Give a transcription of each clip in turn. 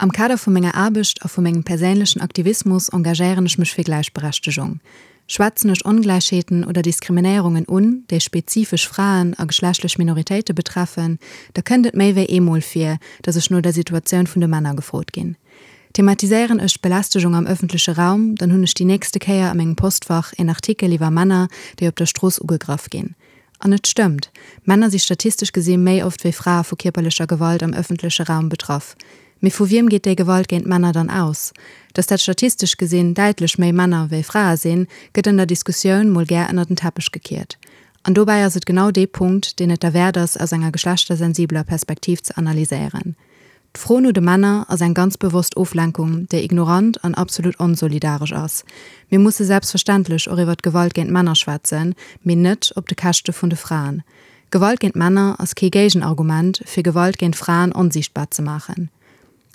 Am Kader vu menger Aarbecht a vu mengem perséinlechen Aktivismus engagéieren ech mech fir Gläichberechtegung. Schwätzen ech Ongläichheeten oder Diskriminéierungen un, déi spezifesch Fraen a geschlechtlech Minoritéite betreffen, da kënnt et méi wéi eemol vir, datt ech no der Situatioun vun de Männer gefrot ginn. Thematiséieren ech d'Belästegung am ëffentleche Raum, dann hunn ech déi nächste Kéier a mengem Postfach een Artikel iwwer Männer, déi op der Strooss ugegraff ginn. An et stëmmt, Männer si statistesch gesi méi oft wéi Frae vu kierperlecher Gewalt am ëffentleche Raum betraff. Mee vu wiem geet déi Gewalt géint Männer dann aus? Datt dat statistesch gesinn däitlech méi Männer wéi Frae sinn, gëtt an der Diskussioun mol gär ënner den Teppech gekiert. An dobäi ass et genau dee Punkt, deen et derwäert ass, aus enger geschlechtersensibeler Perspektiv ze analyséieren. D'Fro no de Männer ass eng ganz bewosst Oflenkung, déi ignorant an absolut onsolidaresch ass. Mir musse selbstverständlech och iwwer d'Gewalt géint Männer schwätzen, mee net op de Käschte vun de Fraen. Gewalt géint Männer ass kee Géigenargument, fir Gewalt géint Fraen onsiichtbar ze maachen.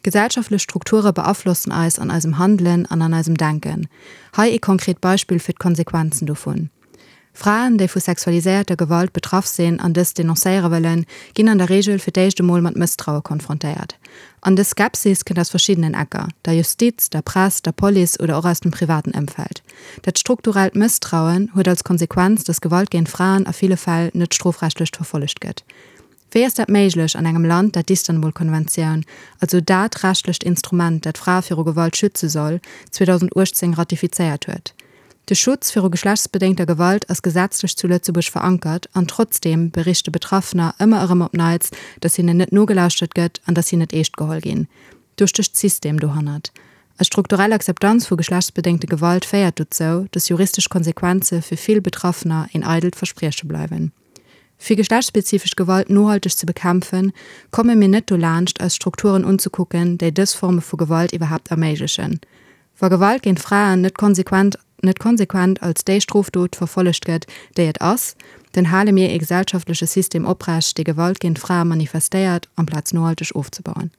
Gesellschaftlech Strukture beaflossen eis an eisem Handelen an an eisem Denken. Hei ee konkret Beispill fir d'Konsequenzen dovun. Fraen, déi vu sexualiséierter Gewalt betraff sinn an dës denoncéiere wëllen, ginn an der Reegel fir d'éischt emol mat Mësstraue konfrontéiert. An dës Skepsis kënnt aus verschiddenen Ecker, der Justiz, der Press, der Police oder och aus dem privaten Ëmfeld. Dat strukturellt Mësstrauen huet als Konsequenz, datt Gewalt géint Fraen a ville Fäll net strofrechtlecht verfollegt gëtt. Wéi ass dat méiglech an engem Land, dat d'Istanbul-Konventioun, also dat rechtlecht Instrument, dat Frae viru Gewalt schütze soll, 2018 ratifizéiert huet? De Schutz viru geschlechtsbedéngter Gewalt ass gesetzlech zu Lëtzebuerg verankert an trotzdeem berichte Betraffener ëmmer erëm op Neits, datt hinnen net nogelauschtert gëtt an datt si net eescht geholl ginn. Do stécht System dohannert. Eis strukturell Akzeptanz vu geschlechtsbedéngte Gewalt féiert dozou, datt juristesch Konsequenze fir vill Betraffener een eidelt Versprieche bleiwen. Fir geschlechtsspezifesch Gewalt nohalteg ze bekämpfen, komme mir net dolaanscht, eis Strukturen unzekucken, déi dës Forme vu Gewalt iwwerhaapt erméiglechen. Wa Gewalt géint Fraen net konsequent net konsequent als déi Strofdot verfollegt gëtt, déi et ass, dann hale mir ee gesellschaftleche System oprecht, dee Gewalt géint Frae manifestéiert, amplaz nohalteg ofzebauen.